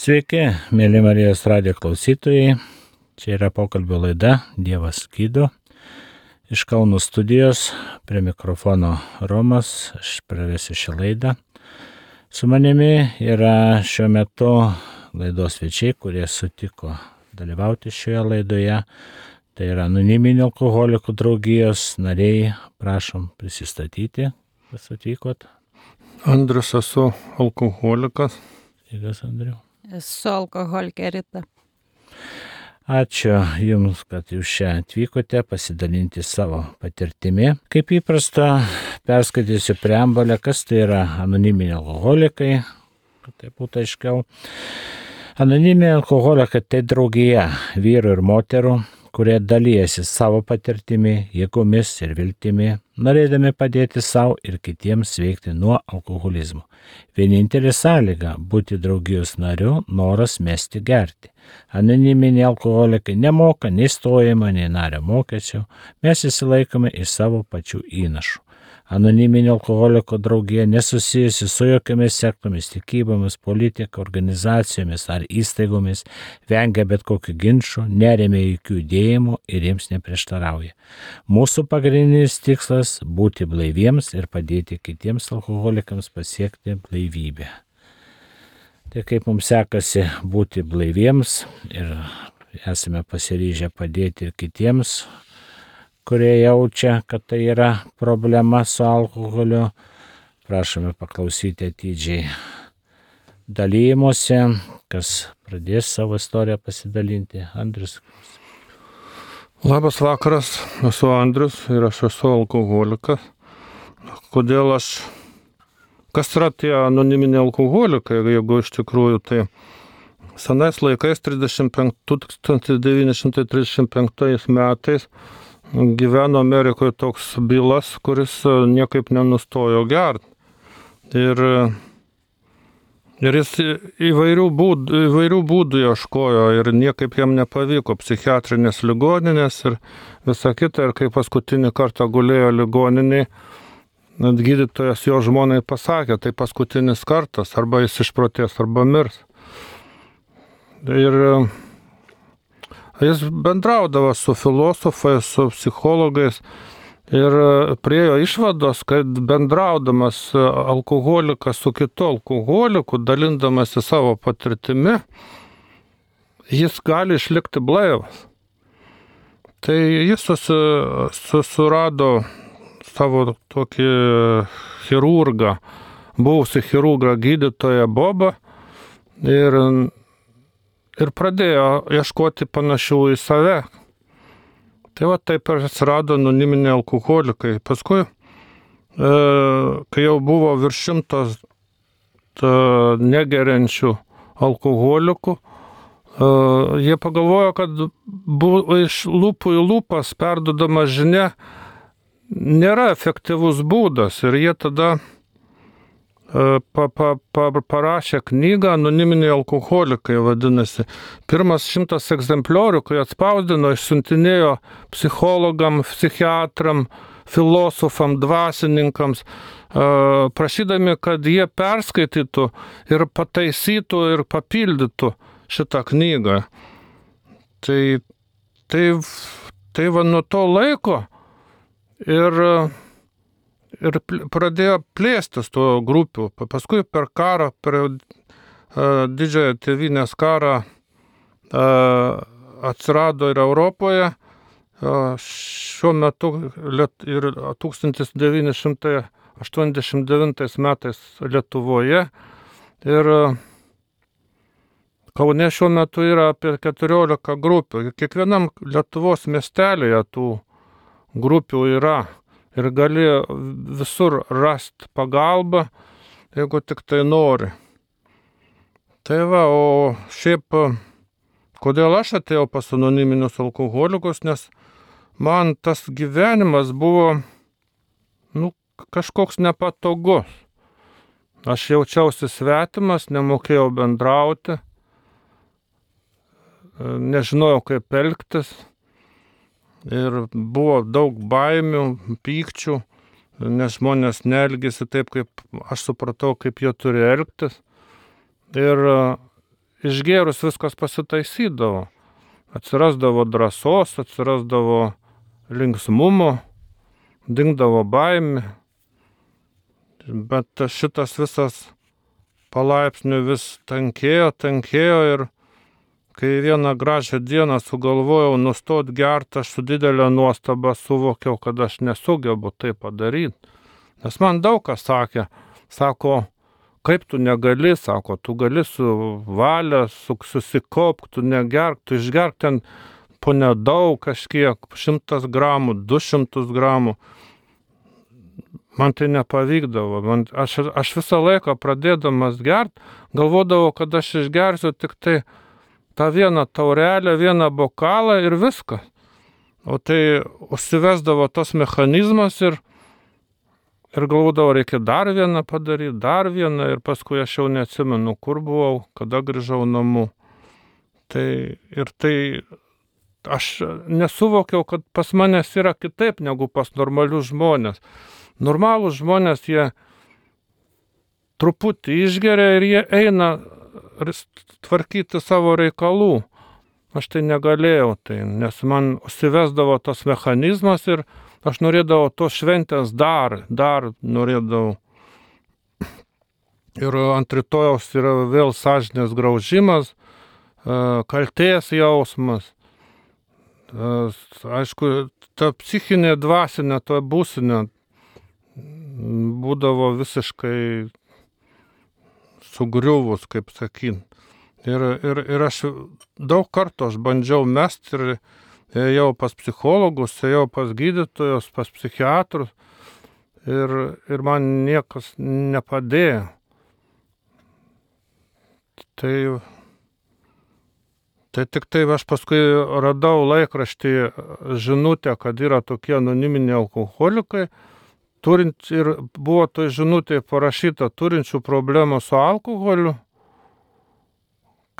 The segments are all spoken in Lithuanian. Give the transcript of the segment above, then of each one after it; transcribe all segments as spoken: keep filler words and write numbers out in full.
Sveiki, mėly Marijos radijo klausytojai. Čia yra pokalbio laida Dievas gydo. Iš Kauno studijos prie mikrofono Romas, aš pravesiu šią laidą. Su manimi yra šiuo metu laidos svečiai, kurie sutiko dalyvauti šioje laidoje. Tai yra Anoniminių alkoholikų draugijos nariai. Prašom prisistatyti, kas atvykot. Andrius, esu alkoholikas. Sveikas, Andriu. Esu alkoholikė Rita. Ačiū Jums, kad Jūs čia atvykote pasidalinti savo patirtimi. Kaip įprasta, perskaitysiu preambulę, kas tai yra anoniminiai alkoholikai, kad tai būtų aiškiau. Anoniminiai alkoholikai tai draugija vyrų ir moterų, kurie dalyjasi savo patirtimi, jėgomis ir viltimi, norėdami padėti savo ir kitiems sveikti nuo alkoholizmo. Vienintelė sąlyga būti draugijos nariu - noras mesti gerti. Anoniminiai alkoholikai nemoka nei stojimo, nei nario mokesčių, mes įsilaikome iš savo pačių įnašų. Anoniminio alkoholiko draugija nesusijusi su jokiamis sektomis, tikybomis, politika, organizacijomis ar įstaigomis, vengia bet kokių ginčų, neremia jokių judėjimų ir jiems neprieštarauja. Mūsų pagrindinis tikslas - būti blaiviems ir padėti kitiems alkoholikams pasiekti blaivybę. Tai kaip mums sekasi būti blaiviems ir esame pasiryžę padėti ir kitiems, kurie jaučia, kad tai yra problema su alkoholiu. Prašome paklausyti atidžiai dalyjimuose, kas pradės savo istoriją pasidalinti. Andrius. Labas vakaras, esu Andrius ir aš esu alkoholikas. Kodėl aš... Kas yra tie anoniminiai alkoholikai, jeigu iš tikrųjų tai senais laikais tūkstantis devyni šimtai trisdešimt penktais metais gyveno Amerikoje toks Bilas, kuris niekaip nenustojo gerti. Ir, ir jis įvairių būdų, įvairių būdų ieškojo ir niekaip jam nepavyko. Psichiatrinės ligoninės ir visa kita. Ir kai paskutinį kartą gulėjo ligoniniai, gydytojas jo žmonai pasakė, tai paskutinis kartas, arba jis išprotės, arba mirs. Ir jis bendraudavo su filosofais, su psichologais ir priejo išvados, kad bendraudamas alkoholikas su kitu alkoholiku, dalindamasi savo patirtimi, jis gali išlikti blaivas. Tai jis susirado savo tokį chirurgą, buvusį chirurgą gydytoją Bobą ir ir pradėjo ieškoti panašių į save. Tai va taip ir atsirado anoniminiai alkoholikai. Paskui, e, kai jau buvo virš šimtas negeriančių alkoholikų, e, jie pagalvojo, kad buvo iš lūpų į lūpas perdodama žinia nėra efektyvus būdas. Ir jie tada Pa, pa, pa, parašė knygą Anoniminiai alkoholikai, vadinasi. Pirmas šimtas egzempliorių, kai atspausdino, išsiuntinėjo psichologam, psichiatram, filosofam, dvasininkams, prašydami, kad jie perskaitytų ir pataisytų ir papildytų šitą knygą. Tai, tai, tai va nuo to laiko ir ir pradėjo plėstis to grupių. Paskui per karą, per uh, didžiąją tėvynės karą uh, atsirado ir Europoje. Uh, šiuo metu liet, ir tūkstantis devyni šimtai aštuoniasdešimt devintais metais Lietuvoje. Ir uh, Kaune šiuo metu yra apie keturiolika grupių. Kiekvienam Lietuvos miestelėje tų grupių yra. Ir gali visur rasti pagalbą, jeigu tik tai nori. Tai va, o šiaip, kodėl aš atėjau pas anoniminius alkoholikus, nes man tas gyvenimas buvo, nu, kažkoks nepatogus. Aš jaučiausi svetimas, nemokėjau bendrauti, nežinojau kaip elgtis. Ir buvo daug baimių, pykčių, nes žmonės neelgėsi taip, kaip aš supratau, kaip jie turi elgtis. Ir išgėrus viskas pasitaisydavo. Atsirasdavo drąsos, atsirasdavo linksmumo, dingdavo baimė. Bet šitas visas palaipsniui vis tankėjo, tankėjo ir kai vieną gražią dieną sugalvojau nustot gert, aš su didelė nuostaba suvokiau, kad aš nesugebu tai padaryti. Nes man daug kas sakė, sako, kaip tu negali, sako, tu gali su valia, su, susikaup, tu negerk, tu išgerk ten po nedaug kažkiek, šimtas gramų, du šimtus gramų. Man tai nepavykdavo. Man, aš, aš visą laiką pradėdamas gert, galvodavau, kad aš išgersiu tik tai tą vieną taurelę, vieną bokalą ir viską. O tai užsivesdavo tas mechanizmas ir Ir galvodavau, reikia dar vieną padaryti, dar vieną, ir paskui aš jau neatsimenu, kur buvau, kada grįžau namo. Tai ir tai aš nesuvokiau, kad pas manęs yra kitaip negu pas normalius žmonės. Normalūs žmonės, jie truputį išgeria ir jie eina tvarkyti savo reikalų. Aš tai negalėjau, tai, nes man užsivesdavo tas mechanizmas ir aš norėdavau tos šventės dar, dar norėdavau. Ir ant rytojaus yra vėl sąžinės graužimas, kaltės jausmas. Aišku, ta psichinė dvasinė, ta būsinė būdavo visiškai sugriuvus, kaip sakyt. Ir, ir, ir aš daug kartų aš bandžiau mest ir ėjau pas psichologus, ėjau pas gydytojus, pas psichiatrus ir, ir man niekas nepadėjo. Tai, tai tik tai aš paskui radau laikraštį žinutę, kad yra tokie anoniminiai alkoholikai, turint, ir buvo tai žinutė parašyta, turinčių problemų su alkoholiu,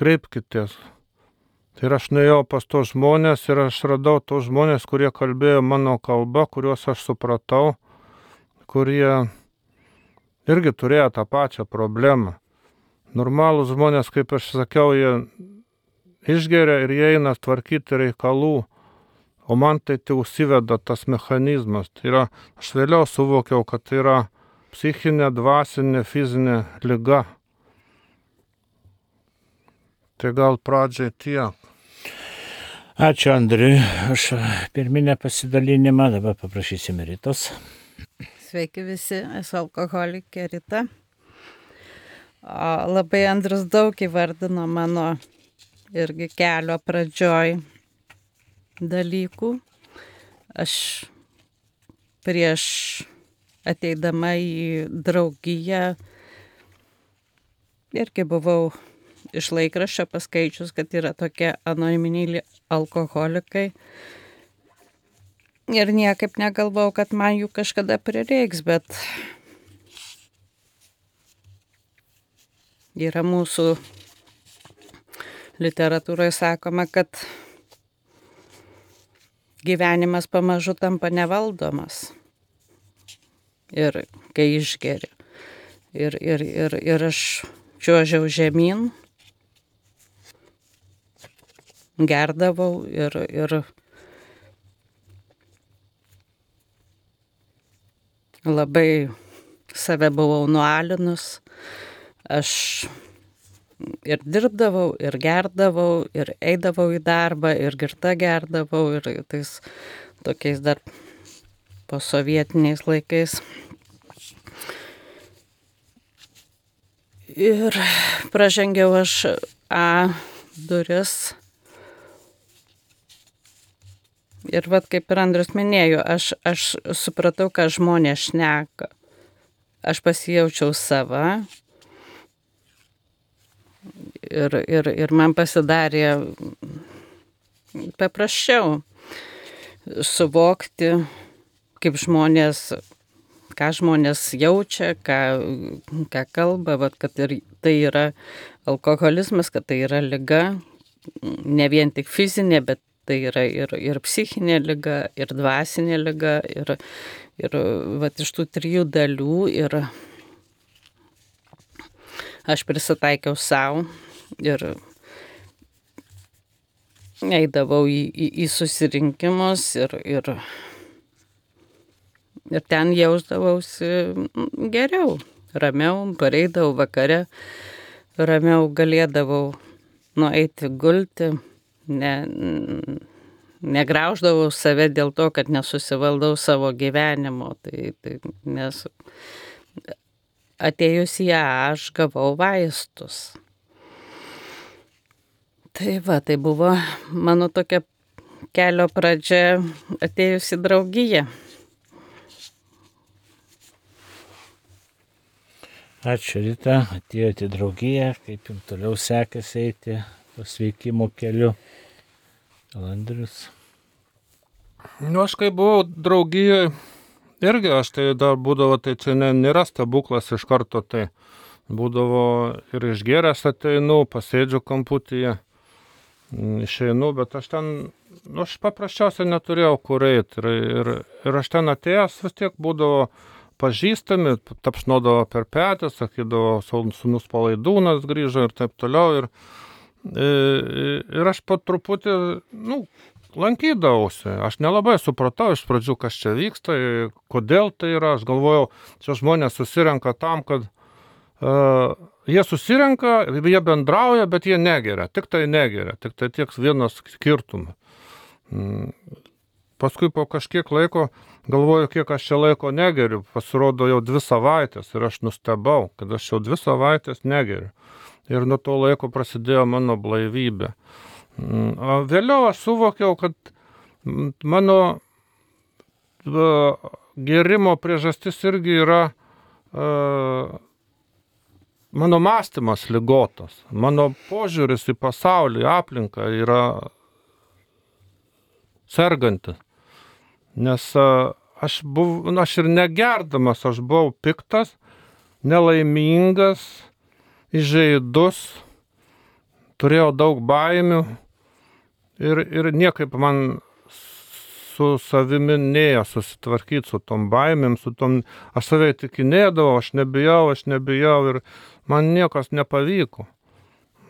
kreipkitės. Ir aš nuėjau pas tos žmonės ir aš radau tos žmonės, kurie kalbėjo mano kalba, kuriuos aš supratau, kurie irgi turėjo tą pačią problemą. Normalūs žmonės, kaip aš sakiau, jie išgeria ir jie eina tvarkyti reikalų, o man tai tai užsiveda tas mechanizmas. Tai yra, aš vėliau suvokiau, kad tai yra psichinė, dvasinė, fizinė liga. Tai gal pradžiai tiek. Ačiū Andriui už pirminę pasidalinimą, dabar paprašysime Ritos. Sveiki visi, esu alkoholikė Rita. O, labai Andrius daug įvardino mano irgi kelio pradžioj dalykų. Aš prieš ateidama į draugiją irgi buvau iš laikraščio paskaičius, kad yra tokie anoniminiai alkoholikai. Ir niekaip negalvojau, kad man jų kažkada prireiks, bet yra mūsų literatūroje sakoma, kad gyvenimas pamažu tampa nevaldomas. Ir kai išgeri. Ir, ir, ir, ir aš čiuožiau žemyn, gerdavau ir, ir labai save buvau nualinus. Aš ir dirbdavau, ir gerdavau, ir eidavau į darbą, ir girta gerdavau, ir tais tokiais dar posovietiniais laikais. Ir pražengiau aš A duris. Ir vat kaip ir Andrius minėjo, aš, aš supratau, ką žmonės šneka. Aš pasijaučiau sava. Ir, ir, ir man pasidarė paprasčiau suvokti, kaip žmonės, ką žmonės jaučia, ką, ką kalba, vat, kad ir tai yra alkoholizmas, kad tai yra liga, ne vien tik fizinė, bet tai yra ir, ir psichinė liga, ir dvasinė liga, ir, ir vat, iš tų trijų dalių. Ir aš prisitaikiau savo ir eidavau į, į, į susirinkimus ir, ir, ir ten jausdavausi geriau, ramiau, pareidavau vakare, ramiau galėdavau nueiti gulti, ne, negrauždavau save dėl to, kad nesusivaldau savo gyvenimo, tai, tai, nes atėjus į ją aš gavau vaistus. Tai va, tai buvo mano tokia kelio pradžia atėjus į draugiją. Ačiū, Rita, atėjote į draugiją, kaip jums toliau sekėsi eiti pasveikimo keliu. Andrius. Nu, aš kai buvau draugijoje, irgi aš tai dar būdavo, tai čia ne, nėra stebuklas iš karto, tai būdavo ir išgėręs ateinu, pasėdžiu kamputyje, išeinu, bet aš ten, nu, aš paprasčiausiai neturėjau kur eiti ir, ir, ir aš ten atėjęs vis tiek būdavo pažįstami, tapšnodavo per petį, sakydavo, sūnus Palaidūnas grįžo ir taip toliau. Ir, ir aš po truputį, nu, lankydavausi. Aš nelabai supratau iš pradžių, kas čia vyksta, kodėl tai yra. Aš galvojau, čia žmonės susirenka tam, kad uh, jie susirenka, jie bendrauja, bet jie negeria. Tik tai negeria. Tik tai tiek vienas skirtumas. Mm. Paskui po kažkiek laiko galvoju, kiek aš čia laiko negeriu. Pasirodo jau dvi savaitės ir aš nustebau, kad aš jau dvi savaitės negeriu. Ir nuo to laiko prasidėjo mano blaivybė. O vėliau aš suvokiau, kad mano gerimo priežastis irgi yra uh, mano mąstymas ligotas. Mano požiūris į pasaulį, į aplinką yra sergantis. Nes uh, aš, buv, aš ir negerdamas, aš buvau piktas, nelaimingas, įžeidus, turėjau daug baimių ir, ir niekaip man su savimi nėjo susitvarkyti su tom baimėm, su tom, aš save įtikinėdavau, aš nebijau, aš nebijau ir man niekas nepavyko.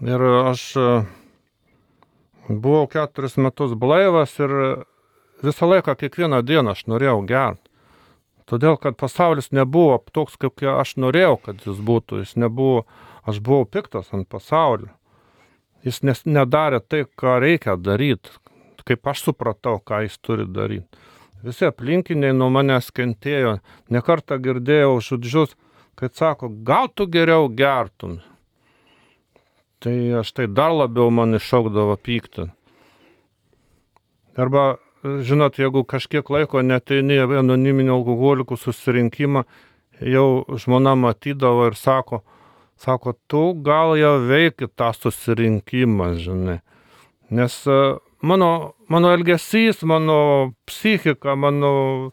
Ir aš buvau keturis metus blaivas ir visą laiką, kiekvieną dieną aš norėjau gerti. Todėl, kad pasaulis nebuvo toks, kaip aš norėjau, kad jis būtų. Jis nebuvo, aš buvau piktas ant pasaulio. Jis nes, nedarė tai, ką reikia daryti, kaip aš supratau, ką jis turi daryti. Visi aplinkiniai nuo manęs kentėjo. Nekartą girdėjau žodžius, kad sako, gal tu geriau gertum. Tai aš tai dar labiau man iššaukdavo pyktį. Arba, žinot, jeigu kažkiek laiko neteini į anoniminių alkoholikų susirinkimą, jau žmona matydavo ir sako, sako, tu gal jau veiki tą susirinkimą, žinai. Nes mano, mano elgesys, mano psichika, mano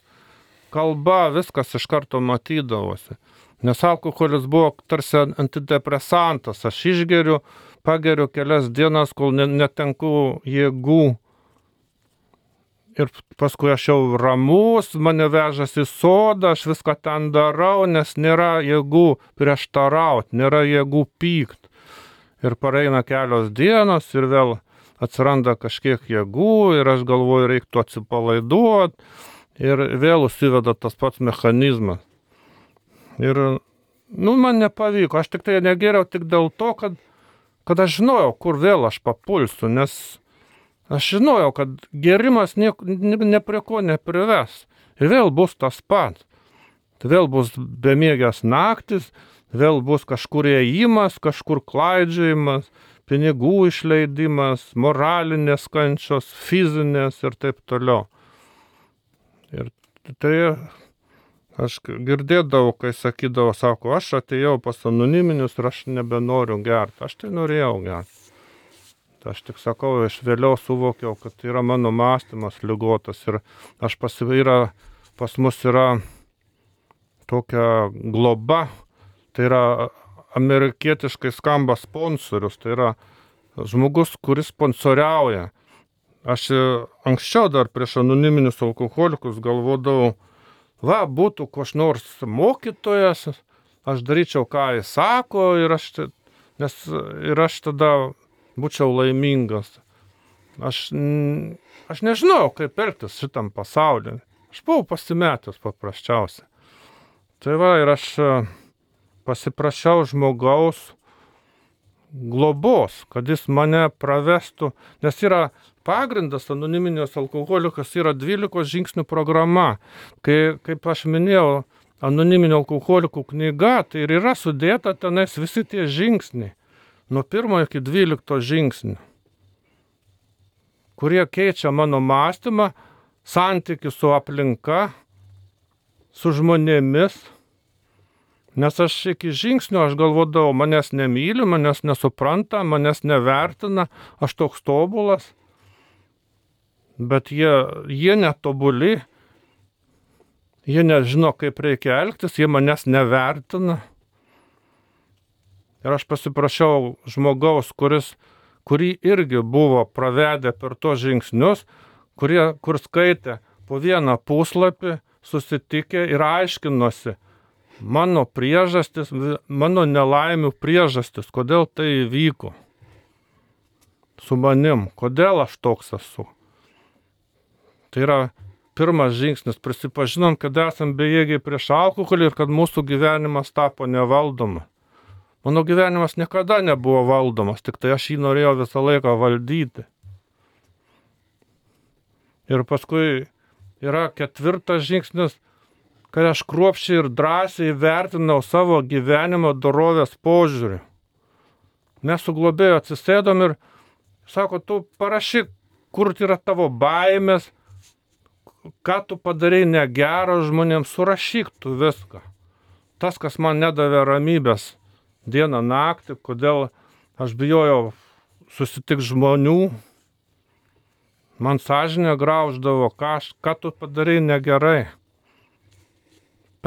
kalba, viskas iš karto matydavosi. Nes alkoholis buvo tarsi antidepresantas. Aš išgeriu, pageriu kelias dienas, kol netenku jėgų. Ir paskui aš jau ramus, mane vežas į sodą, aš viską ten darau, nes nėra jėgų prieštarauti, nėra jėgų pykt. Ir pareina kelios dienos ir vėl atsiranda kažkiek jėgų ir aš galvoju, reiktų atsipalaiduoti ir vėl užsiveda tas pats mechanizmas. Ir, nu, man nepavyko, aš tik tai negeriau tik dėl to, kad, kad aš žinojau, kur vėl aš papulsiu, nes aš žinojau, kad gerimas nieko, ne, ne prie ko neprives. Ir vėl bus tas pats. Vėl bus bemiegės naktis, vėl bus kažkur ėjimas, kažkur klaidžiojimas, pinigų išleidimas, moralinės kančios, fizinės ir taip toliau. Ir tai aš girdėdavau, kai sakydavo, sako, aš atėjau pas anoniminius ir aš nebenoriu gerti. Aš tai norėjau gerti. Aš tik sakau, aš vėliau suvokiau, kad tai yra mano mąstymas ligotas ir aš pasivyra, pas mus yra tokia globa, tai yra amerikietiškai skamba sponsorius, tai yra žmogus, kuris sponsoriauja. Aš anksčiau dar prieš anoniminius alkoholikus galvodavau, va, būtų koks nors mokytojas, aš daryčiau, ką jis sako ir aš, nes, ir aš tada būčiau laimingas. aš, aš nežinau, kaip elgtis šitam pasaulyje. Aš buvau pasimetęs paprasčiausiai. Tai va, ir aš pasiprašiau žmogaus globos, kad jis mane pravestų, nes yra pagrindas anoniminės alkoholikas, yra dvylikos žingsnių programa. Kai, kaip aš minėjau, anoniminio alkoholikų knyga, tai ir yra sudėta tenais visi tie žingsniai, nuo pirmo iki dvylikto žingsnių, kurie keičia mano mąstymą, santykį su aplinka, su žmonėmis. Nes aš iki žingsnio aš galvodavau, manęs nemyli, manęs nesupranta, manęs nevertina, aš toks tobulas. Bet jie, jie netobuli, jie nežino, kaip reikia elgtis, jie manęs nevertina. Ir aš pasiprašiau žmogaus, kuris, kurį irgi buvo pravedę per tos žingsnius, kurie, kur skaitė po vieną puslapį, susitikę ir aiškinosi mano priežastis, mano nelaimių priežastis, kodėl tai įvyko su manim, kodėl aš toks esu. Tai yra pirmas žingsnis, prisipažinom, kad esam bejėgiai prieš alkoholį ir kad mūsų gyvenimas tapo nevaldomas. Mano gyvenimas niekada nebuvo valdomas, tik tai aš jį norėjau visą laiką valdyti. Ir paskui yra ketvirtas žingsnis, kad aš kruopščiai ir drąsiai vertinau savo gyvenimo dorovės požiūrį. Mes su globėju atsisėdom ir sako, tu parašyk, kur yra tavo baimės, ką tu padarei negero žmonėms, surašyk tu viską. Tas, kas man nedavė ramybės dieną naktį, kodėl aš bijojau susitik žmonių, man sąžinė grauždavo, ką, aš, ką tu padarei negerai.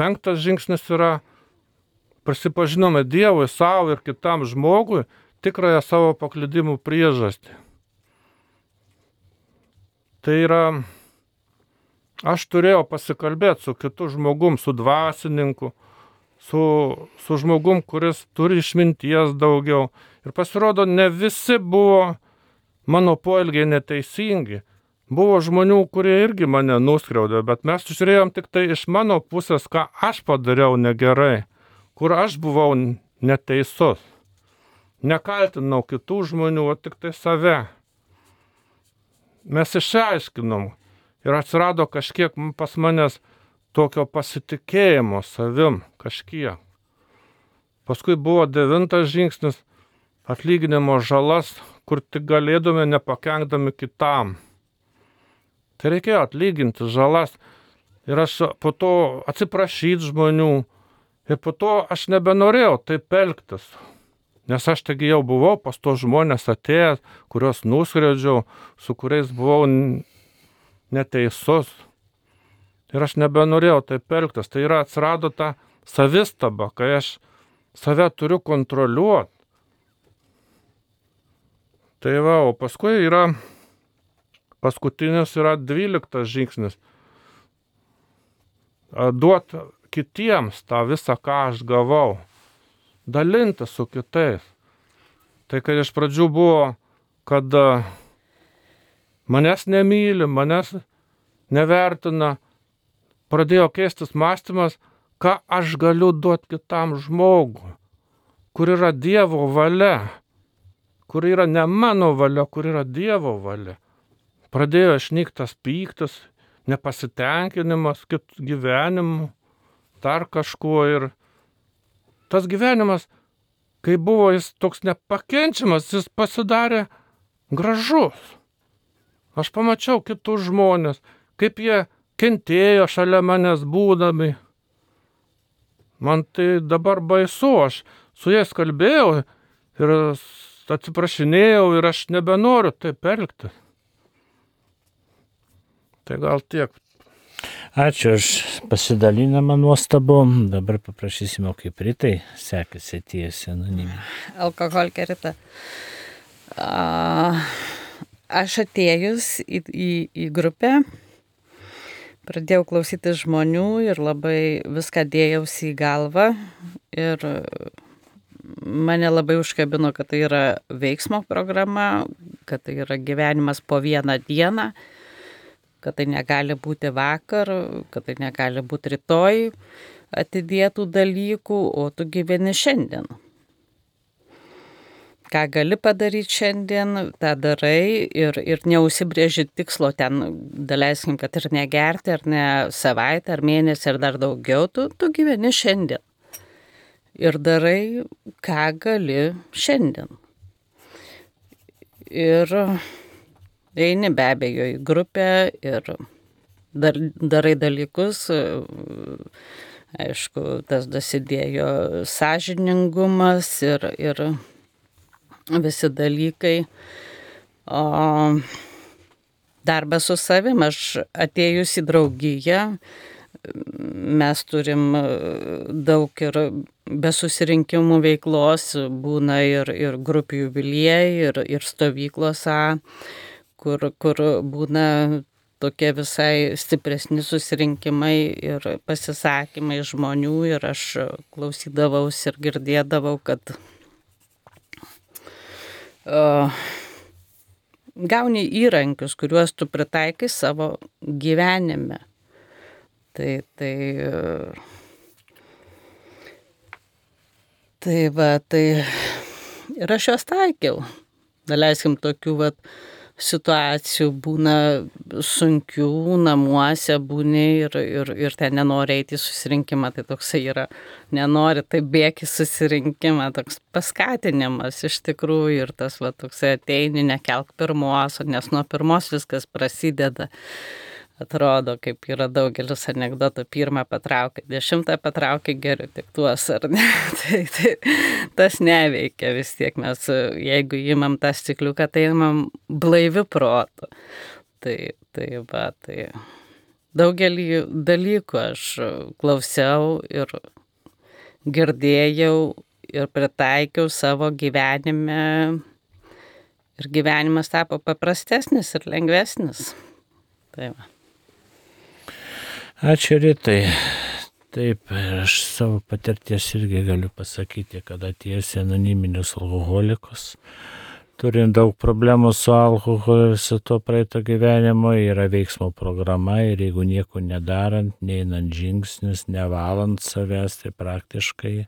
Penktas žingsnis yra, prisipažinome Dievui, savo ir kitam žmogui tikrąją savo paklydimų priežastį. Tai yra, aš turėjau pasikalbėti su kitu žmogum, su dvasininku, su, su žmogum, kuris turi išminties daugiau. Ir pasirodo, ne visi buvo mano poelgiai neteisingi. Buvo žmonių, kurie irgi mane nuskriaudė, bet mes žiūrėjom tik tai iš mano pusės, ką aš padariau negerai, kur aš buvau neteisus. Nekaltinau kitų žmonių, o tik tai save. Mes išaiškinom ir atsirado kažkiek pas manęs tokio pasitikėjimo savim, kažkiek. Paskui buvo devintas žingsnis, atlyginimo žalas, kur tik galėdome nepakenkdami kitam. Tai reikėjo atlyginti žalas ir aš po to atsiprašyti žmonių ir po to aš nebenorėjau taip elgtis. Nes aš taigi jau buvau pas to žmonės atėjęs, kuriuos nuskriaudžiau, su kuriais buvau neteisus. Ir aš nebenorėjau taip elgtis. Tai yra atsirado ta savistaba, kai aš save turiu kontroliuoti. Tai va, o paskui yra Paskutinis yra dvyliktas žingsnis. Duoti kitiems tą visą, ką aš gavau. Dalinti su kitais. Tai kad iš pradžių buvo, kad manęs nemyli, manęs nevertina, pradėjo keistis mąstymas, ką aš galiu duoti kitam žmogui, kur yra Dievo valia, kur yra ne mano valia, kur yra Dievo valia. Pradėjo išnyktas pyktis, nepasitenkinimas kitų gyvenimu, dar kažkuo. Ir tas gyvenimas, kai buvo jis toks nepakenčiamas, jis pasidarė gražus. Aš pamačiau kitus žmonės, kaip jie kentėjo šalia manęs būdami. Man tai dabar baisu, aš su jais kalbėjau ir atsiprašinėjau ir aš nebenoriu taip elgtis. Tai gal tiek. Ačiū už pasidalinimą nuostabu. Dabar paprašysime, kaip Ritai sekasi atėjęs anoniminė. Alkoholikė Rita. Aš atėjus į, į, į grupę, pradėjau klausyti žmonių ir labai viską dėjausi į galvą. Ir mane labai užkabino, kad tai yra veiksmo programa, kad tai yra gyvenimas po vieną dieną, kad tai negali būti vakar, kad tai negali būti rytoj atidėtų dalykų, o tu gyveni šiandien. Ką gali padaryti šiandien, tą darai ir, ir neužsibrėži tikslo ten, daleiskim, kad ir negerti, ar ne savaitę, ar mėnesį, ar dar daugiau, tu, tu gyveni šiandien. Ir darai, ką gali šiandien. Ir eini be abejo į grupę ir dar, darai dalykus. Aišku, tas dasidėjo sąžiningumas ir, ir visi dalykai. O darbas su savim, aš atėjus į draugiją, mes turim daug ir be susirinkimų veiklos, būna ir, ir grupių jubiliejai, ir, ir stovyklos, kur, kur būna tokie visai stipresni susirinkimai ir pasisakymai žmonių, ir aš klausydavausi ir girdėdavau, kad uh, gauni įrankius, kuriuos tu pritaikai savo gyvenime. Tai, tai, tai va, tai ir aš juos taikiau. Daleiskim, tokių va situacijų būna sunkių, namuose būni ir, ir, ir ten nenori eiti į susirinkimą, tai toksai yra, nenori, tai bėk į susirinkimą, toks paskatinimas iš tikrųjų, ir tas va toksai ateini, nekelk pirmos, nes nuo pirmos viskas prasideda. Atrodo, kaip yra daugelis anekdotų, pirmą patraukia, dešimtą patraukia, geriau tik tuos, ar ne? tai, tai, tas neveikia vis tiek, mes jeigu imam tą stikliuką, tai imam blaiviu protu. Tai, tai va, tai daugelį dalykų aš klausiau ir girdėjau ir pritaikiau savo gyvenime, ir gyvenimas tapo paprastesnis ir lengvesnis. Tai va. Ačiū, Ritai. Taip, aš savo patirties irgi galiu pasakyti, kad atėjęs į anoniminius alkoholikus, turint daug problemų su alkoholiu, su to praeito gyvenimo, yra veiksmo programa, ir jeigu nieko nedarant, neinant žingsnius, nevalant savęs, tai praktiškai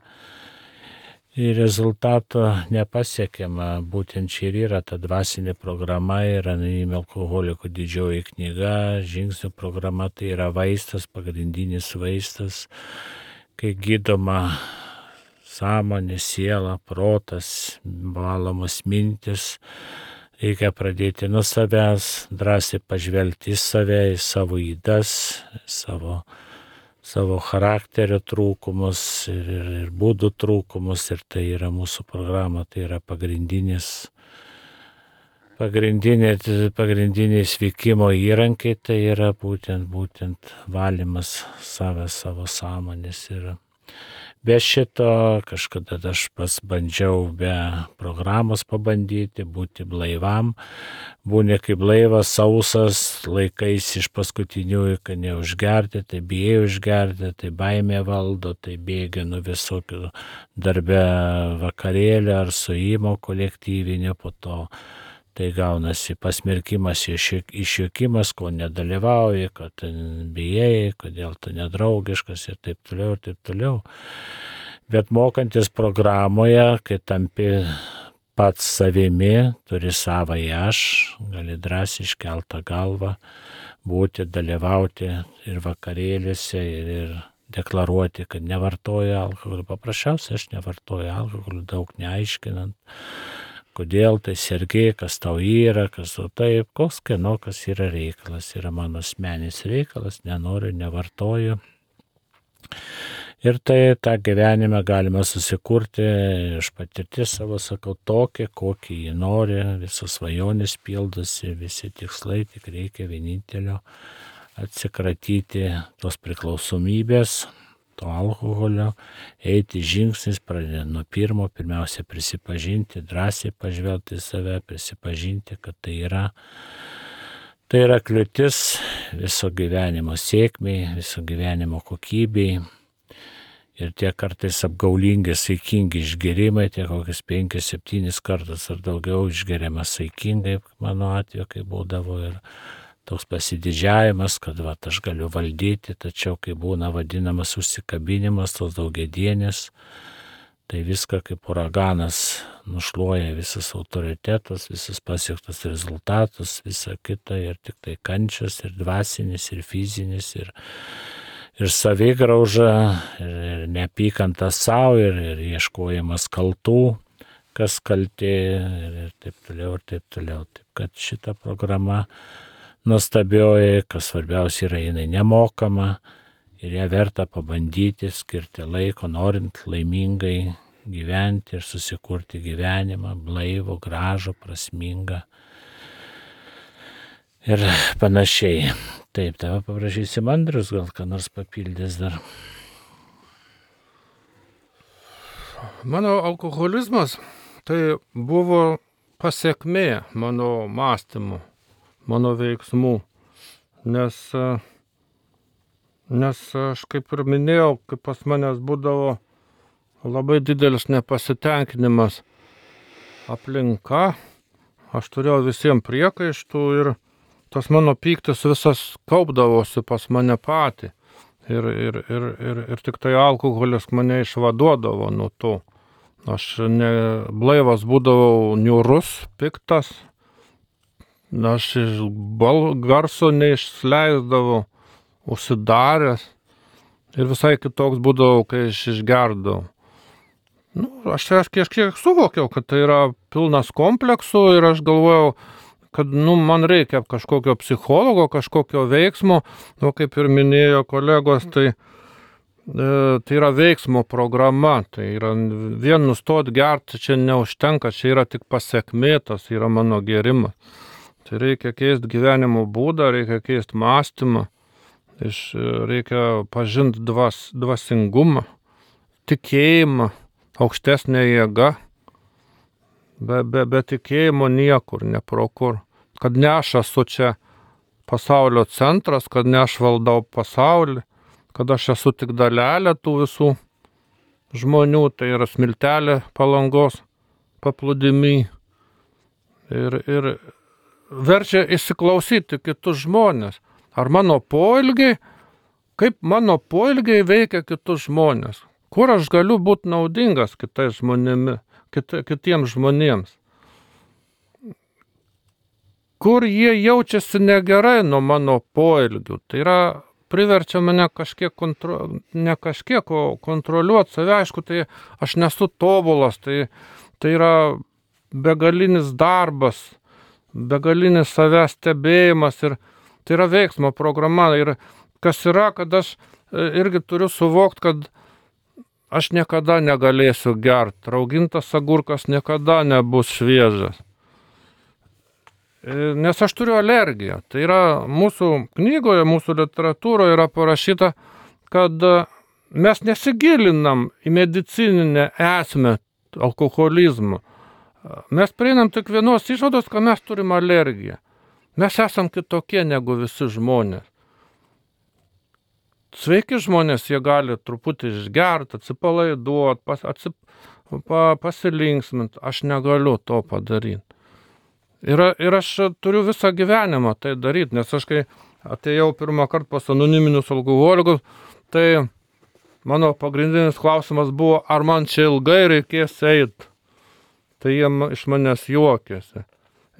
ir rezultato nepasiekiama. Būtent čia ir yra ta dvasinė programa, ir anoniminių alkoholikų didžioji knyga, žingsnių programa, tai yra vaistas, pagrindinis vaistas, kai gydoma sąmonė, siela, protas, valomos mintis. Reikia pradėti nuo savęs, drąsiai pažvelgti į save, į savo ydas, savo savo charakterio trūkumus ir, ir, ir būdų trūkumus, ir tai yra mūsų programa, tai yra pagrindinis, pagrindinė, pagrindiniai sveikimo įrankiai, tai yra būtent, būtent valymas savęs, savo sąmonės. Ir be šito kažkada aš pas bandžiau be programos pabandyti, būti blaivam. Būni kaip blaivas, sausas, laikais iš paskutiniųjų, kad neužgerti, tai bijai užgerti, tai baimė valdo, tai bėgi nuo visokių darbe vakarėlio ar suėjimo kolektyvinio, po to tai gaunasi pasmerkimas, išjuokimas, ko nedalyvauji, kad bijai, kodėl tu nedraugiškas ir taip toliau, ir taip toliau. Bet mokantis programoje, kai tampi pats savimi, turi savąjį aš, gali drąsiai iškeltą galvą, būti, dalyvauti ir vakarėliuose, ir, ir deklaruoti, kad nevartoju alkoholį. Paprasčiausiai aš nevartoju alkoholį, daug neaiškinant, kodėl tai sergi, kas tau yra, kas tau taip, koks kieno, kas yra reikalas. Yra mano asmeninis reikalas, nenoriu, nevartoju. Ir tai tą gyvenimą galima susikurti iš patirties savo, sakau, tokį, kokį jį nori, visos svajonės pildosi, visi tikslai, tik reikia vienintelio atsikratyti tos priklausomybės, to alkoholio, eiti žingsnis, pradedant nuo pirmo, pirmiausia prisipažinti, drąsiai pažvelgti į save, prisipažinti, kad tai yra, tai yra kliūtis viso gyvenimo sėkmei, viso gyvenimo kokybei. Ir tie kartais apgaulingi, saikingi išgerimai, tie kokius penkis, septynis kartus ar daugiau išgeriama saikingai, mano atveju, kai būdavo, ir toks pasididžiavimas, kad va, aš galiu valdyti, tačiau kai būna vadinamas užsikabinimas, tos daugiadienės, tai viską kaip uraganas nušluoja, visas autoritetas, visas pasiektas rezultatus, visa kita, ir tik tai kančias, ir dvasinis, ir fizinis, ir ir savigrauža, ir, ir neapykanta savo, ir, ir ieškojimas kaltų, kas kaltė, ir, ir taip toliau, ir taip toliau. Taip kad šita programa nuostabioji, kas svarbiausia yra, jinai nemokama, ir ją verta pabandyti, skirti laiko, norint laimingai gyventi ir susikurti gyvenimą, blaivų, gražų, prasmingą ir panašiai. Taip, tave paprašysim Andrius, gal ką nors papildys dar. Mano alkoholizmas tai buvo pasiekmė mano mąstymų, mano veiksmų, nes, nes aš kaip ir minėjau, kaip pas manęs būdavo labai didelis nepasitenkinimas aplinka, aš turėjau visiems priekaištų ir tas mano pyktis visas kaupdavosi pas mane patį. Ir, ir, ir, ir, ir tik tai alkoholis mane išvaduodavo nuo to. Aš ne, blaivas būdavau niūrus, piktas. Aš iš bal, garso neišleisdavau, užsidaręs. Ir visai kitoks būdavau, kai aš išgerdavau. Nu, aš aš kažkiek suvokiau, kad tai yra pilnas kompleksų, ir aš galvojau, kad nu, man reikia kažkokio psichologo, kažkokio veiksmo, nu, kaip ir minėjo kolegos, tai, e, tai yra veiksmo programa, tai yra vien nustot gerti, čia neužtenka, čia yra tik pasiekmė, tas yra mano gėrimas. Tai reikia keisti gyvenimo būdą, reikia keisti mąstymą, iš, reikia pažinti dvas, dvasingumą, tikėjimą, aukštesnę jėgą. Be, be, be tikėjimo niekur, ne pro kur. Kad ne aš esu čia pasaulio centras, kad ne aš valdau pasaulį, kad aš esu tik dalelė tų visų žmonių, tai yra smiltelė Palangos paplūdimy. Ir, ir verčia įsiklausyti kitus žmonės. Ar mano poelgiai, kaip mano poelgiai veikia kitus žmonės. Kur aš galiu būti naudingas kitais žmonėmis. Kit, kitiems žmonėms. Kur jie jaučiasi negerai nuo mano poelgių. Tai yra, priverčia mane kažkiek, kontro, ne kažkiek, o kontroliuoti save. Aišku, tai aš nesu tobulas, tai, tai yra begalinis darbas, begalinis savęs stebėjimas, ir tai yra veiksmo programa. Ir kas yra, kad aš irgi turiu suvokti, kad aš niekada negalėsiu gerti. Raugintas agurkas niekada nebus šviežias. Nes aš turiu alergiją. Tai yra mūsų knygoje, mūsų literatūroje yra parašyta, kad mes nesigilinam į medicininę esmę alkoholizmo. Mes prieinam tik vienos išvados, kad mes turim alergiją. Mes esam kitokie negu visi žmonės. Sveiki žmonės, jie gali truputį išgerti, atsipalaiduoti, pas, atsip, pa, pasilinksminti. Aš negaliu to padaryti. Ir, ir aš turiu visą gyvenimą tai daryti, nes aš kai atėjau pirmą kartą pas anoniminius alkoholikus, tai mano pagrindinis klausimas buvo, ar man čia ilgai reikės eiti. Tai jie iš manęs juokėsi.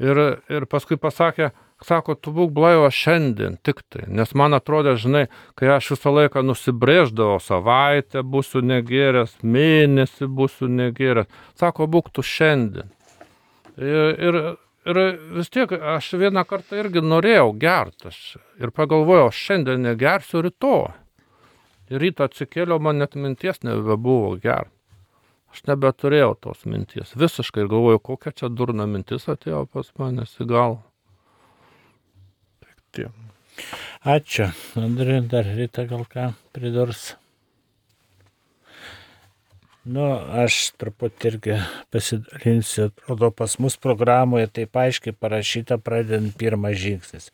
Ir, ir paskui pasakė, sako, tu būk blaivas šiandien tik tai, nes man atrodė, žinai, kai aš visą laiką nusibrėždavau, savaitę būsiu negėręs, mėnesį būsiu negėręs, sako, būk tu šiandien. Ir, ir, ir vis tiek aš vieną kartą irgi norėjau gerti, ir pagalvojau, šiandien negersiu, rytoj. Ir rytą atsikėliau, man net minties nebebuvo gerti. Aš nebeturėjau tos minties, visiškai galvojau, kokia čia durna mintis atėjo pas manęs į galvą. Ačiū. Andriui, dar Rita gal ką pridurs? Nu, aš truputį irgi pasidalinsiu, atrodo, pas mus programoje taip aiškiai parašyta, pradedant pirmas žingsnis.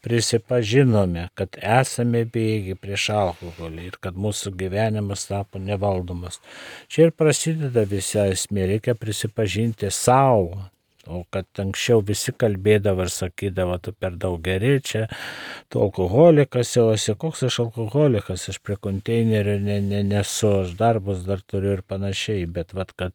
Prisipažinome, kad esame bejėgiai prieš alkoholį ir kad mūsų gyvenimas tapo nevaldomas. Čia ir prasideda visa esmė, reikia prisipažinti savo. O kad anksčiau visi kalbėdavo ir sakydavo, tu per daug geri, čia tu alkoholikas jau esi, koks aš alkoholikas, aš prie konteinerio ne, ne, nesu, aš darbus dar turiu ir panašiai, bet vat, kad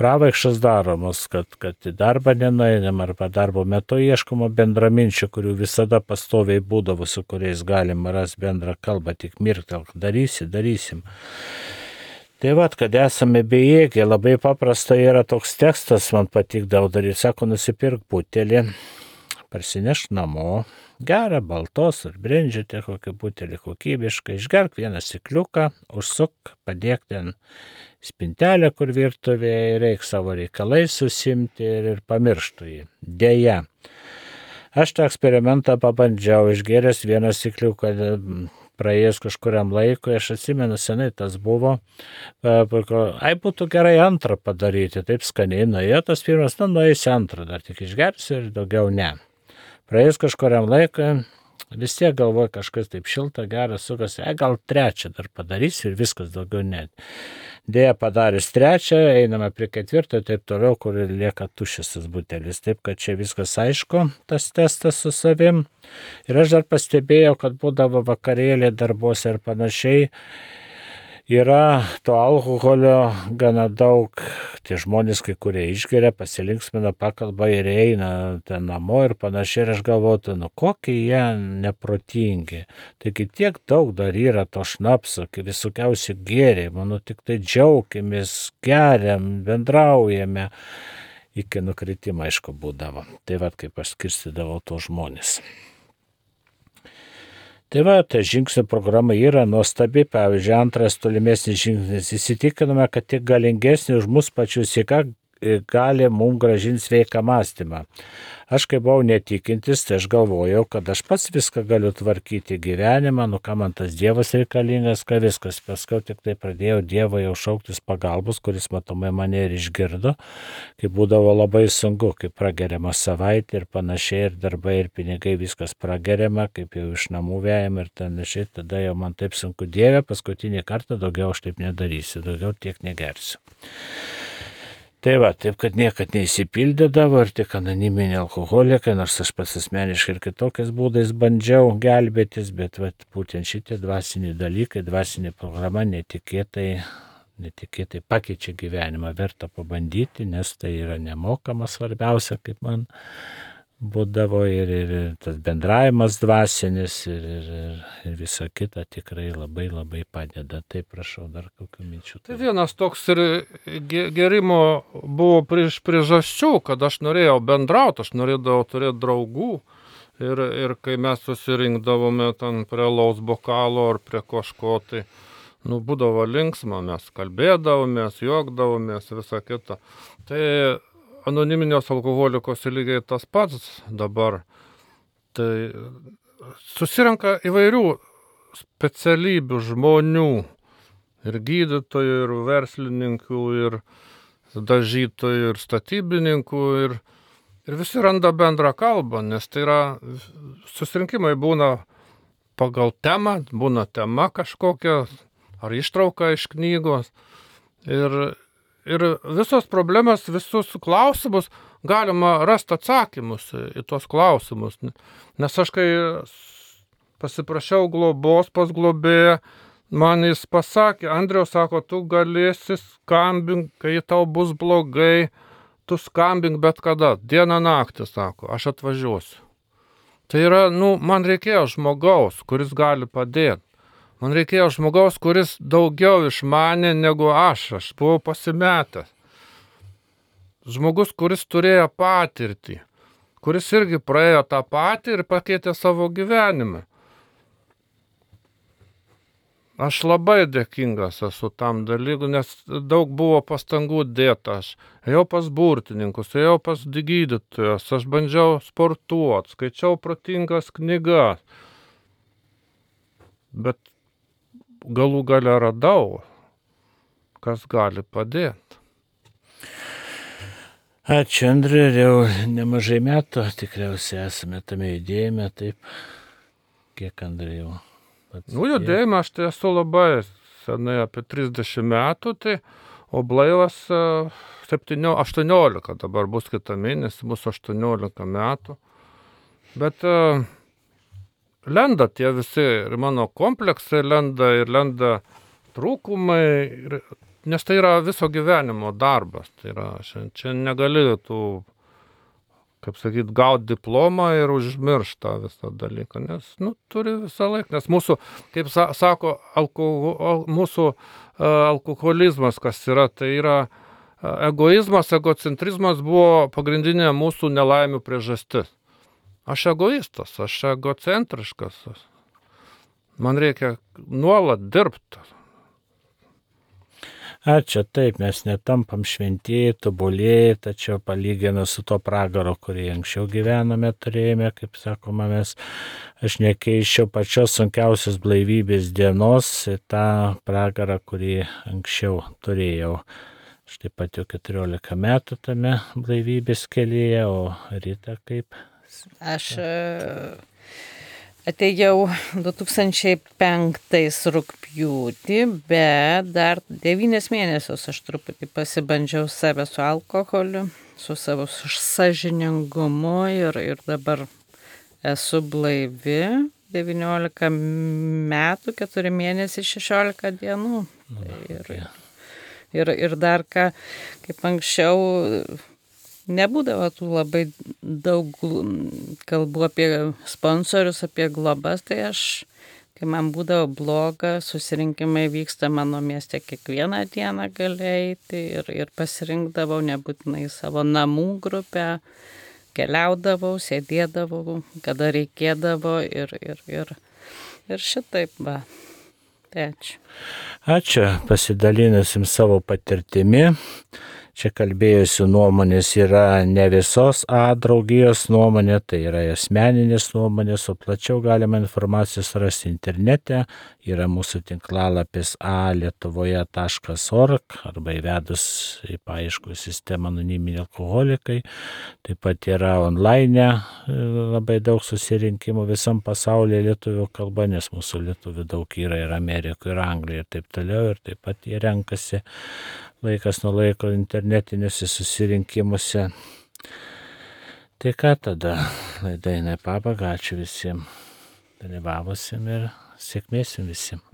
pravaikšas daromos, kad, kad į darbą nenueinam arba darbo metu ieškoma bendraminčių, kurių visada pastoviai būdavo, su kuriais galima rasti bendrą kalbą, tik mirktelk, darysi, darysim. Tai vat, kad esame bejėgiai, labai paprasta yra toks tekstas, man patikdavo daryti, sako, nusipirk butelį, parsinešk namo, gerą baltos ar brendžiate kokį butelį kokybiškai, išgerk vieną stikliuką, užsuk, padėk ten spintelę, kur virtuvėje, reik savo reikalais susimti ir, ir pamirštų jį. Deja, aš tą eksperimentą pabandžiau, išgeręs vieną stikliuką, praėjus kažkuriam laikui, aš atsimenu, senai tas buvo, ai būtų gerai antrą padaryti, taip skaniai nuėjo tas pirmas, nu nueisi antrą, dar tik išgersiu ir daugiau ne. Praėjus kažkuriam laikui, vis tiek galvoju kažkas taip šilta, geras, sukas, ai gal trečią dar padarysiu ir viskas daugiau net. Dėja padarius trečią, einame prie ketvirto ir taip toliau, kur lieka tuščias tas butelis. Taip, kad čia viskas aišku, tas testas su savim. Ir aš dar pastebėjau, kad būdavo vakarėlė darbuose ir panašiai. Yra to alkoholio gana daug, tie žmonės, kai kurie išgeria, pasilinksmina, pakalba ir eina ten namo ir panašiai. Ir aš galvoju, nu kokie jie neprotingi. Taigi tiek daug dar yra to šnapso, visokiausi gėriai, manau, tik tai džiaukimės, geriam, bendraujame. Iki nukritimo, aišku, būdavo. Tai va, kaip aš skirstydavau to žmonės. Tai va, ta žingsnių programa yra nuostabi, pavyzdžiui, antras tolimesnis žingsnis. Įsitikinome, kad tik galingesnį už mus pačius į ką gali mums gražinti sveiką mąstymą. Aš kai buvau netikintis, tai aš galvojau, kad aš pats viską galiu tvarkyti gyvenimą, nu ką man tas Dievas reikalingas, ką viskas. Paskui tik tai pradėjau Dievą jau šauktis pagalbos, kuris matomai mane ir išgirdo, kai būdavo labai sunku, kai prageriama savaitė ir panašiai, ir darbai, ir pinigai, viskas prageriama, kaip jau iš namų vejama ir panašiai, tada jau man taip sunku, Dieve, paskutinį kartą daugiau aš taip nedarysiu, daugiau tiek negersiu. Tai va, taip, kad niekad neįsipildydavo ir tik anoniminiai alkoholikai, nors aš pats asmeniškai ir kitokiais būdais bandžiau gelbėtis, bet va, būtent šitie dvasiniai dalykai, dvasinė programa netikėtai, netikėtai pakeičia gyvenimą, verta pabandyti, nes tai yra nemokama, svarbiausia, kaip man būdavo ir, ir, ir tas bendravimas dvasinis ir, ir, ir, ir visa kita tikrai labai labai padeda. Tai prašau dar kokių minčių. Tai vienas toks ir gerimo buvo prieš priežasčių, kad aš norėjau bendrauti, aš norėdavau turėti draugų ir, ir kai mes susirinkdavome ten prie alaus bokalo ar prie kažko, tai nu, būdavo linksma, mes kalbėdavomės, juokdavomės, visa kita. Tai anoniminės alkoholikos lygiai tas pats dabar. Tai susirenka įvairių specialybių žmonių, ir gydytojų, ir verslininkų, ir dažytojų, ir statybininkų, ir, ir visi randa bendrą kalbą, nes tai yra, susirinkimai būna pagal temą, būna tema kažkokia, ar ištrauka iš knygos, ir Ir visos problemas, visus klausimus galima rasti atsakymus į tuos klausimus. Nes aš kai pasiprašiau globos pas globėją, man jis pasakė, Andriau, sako, tu galėsi skambink, kai tau bus blogai, tu skambink bet kada, dieną naktį, sako, aš atvažiuosiu. Tai yra, nu, man reikėjo žmogaus, kuris gali padėti. Man reikėjo žmogaus, kuris daugiau išmanė negu aš, aš buvau pasimetęs. Žmogus, kuris turėjo patirtį, kuris irgi praėjo tą patį ir pakeitė savo gyvenimą. Aš labai dėkingas esu tam dalykui, nes daug buvo pastangų dėta. Aš ėjau pas burtininkus, ėjau pas gydytojus, aš bandžiau sportuoti, skaičiau protingas knygas. Bet galų gale radau, kas gali padėti. Ačiū, Andriu, jau nemažai metų tikriausiai esame tame judėjime, taip, kiek Andriu jau pats. Nu, judėjime aš tai esu labai senai, apie trisdešimt metų, tai, o blaivas septyniolika, aštuoniolika, dabar bus kitą mėnesį, bus aštuoniolika metų. Bet uh, lenda tie visi, ir mano kompleksai lenda, ir lenda trūkumai, ir, nes tai yra viso gyvenimo darbas. Tai yra, čia negali tų, kaip sakyt, gauti diplomą ir užmiršti tą visą dalyką, nes, nu, turi visą laiką, nes mūsų, kaip sa, sako, alkohol, mūsų uh, alkoholizmas, kas yra, tai yra uh, egoizmas, egocentrizmas buvo pagrindinė mūsų nelaimių priežastis. Aš egoistas, aš egocentriškas, man reikia nuolat dirbti. Ačiū, taip, mes netampam šventieji, tobulėjai, tačiau palyginus su to pragaro, kurį anksčiau gyvename, turėjome, kaip sakoma, mes, aš nekeičiau pačios sunkiausios blaivybės dienos į tą pragarą, kurį anksčiau turėjau. Aš taip pat jau keturiolika metų tame blaivybės kelyje, o Rita kaip? Aš atėjau du tūkstančiai penktais rugpjūtį, bet dar devynis mėnesius aš truputį pasibandžiau save su alkoholiu, su savo sąžiningumu ir, ir dabar esu blaivi, devyniolika metų, keturi mėnesiai, šešiolika dienų. Ir, ir, ir dar ką, kaip anksčiau, nebūdavo tų labai daug kalbų apie sponsorius, apie globas, tai aš, kai man būdavo bloga, susirinkimai vyksta mano mieste kiekvieną dieną galėjai ir, ir pasirinkdavau nebūtinai savo namų grupę, keliaudavau, sėdėdavau, kada reikėdavo ir, ir, ir, ir šitaip va. Tai ačiū. Ačiū, pasidalinusim savo patirtimi. Čia kalbėjusių nuomonės yra ne visos A draugijos nuomonė, tai yra asmeninės nuomonės, o plačiau galima informacijos rasti internete, yra mūsų tinklalapis a lietuvoje taškas org arba įvedus į paieškų sistemą anoniminiai alkoholikai, taip pat yra online labai daug susirinkimų visam pasaulyje lietuvių kalba, nes mūsų lietuvių daug yra ir Amerikoje, ir Anglijoje ir taip toliau, ir taip pat jie renkasi laikas nuo laiko internetiniuose susirinkimuose. Tai ką tada, laida eina į pabaigą, ačiū visiems dalyvavusiem ir sėkmės jums visiems.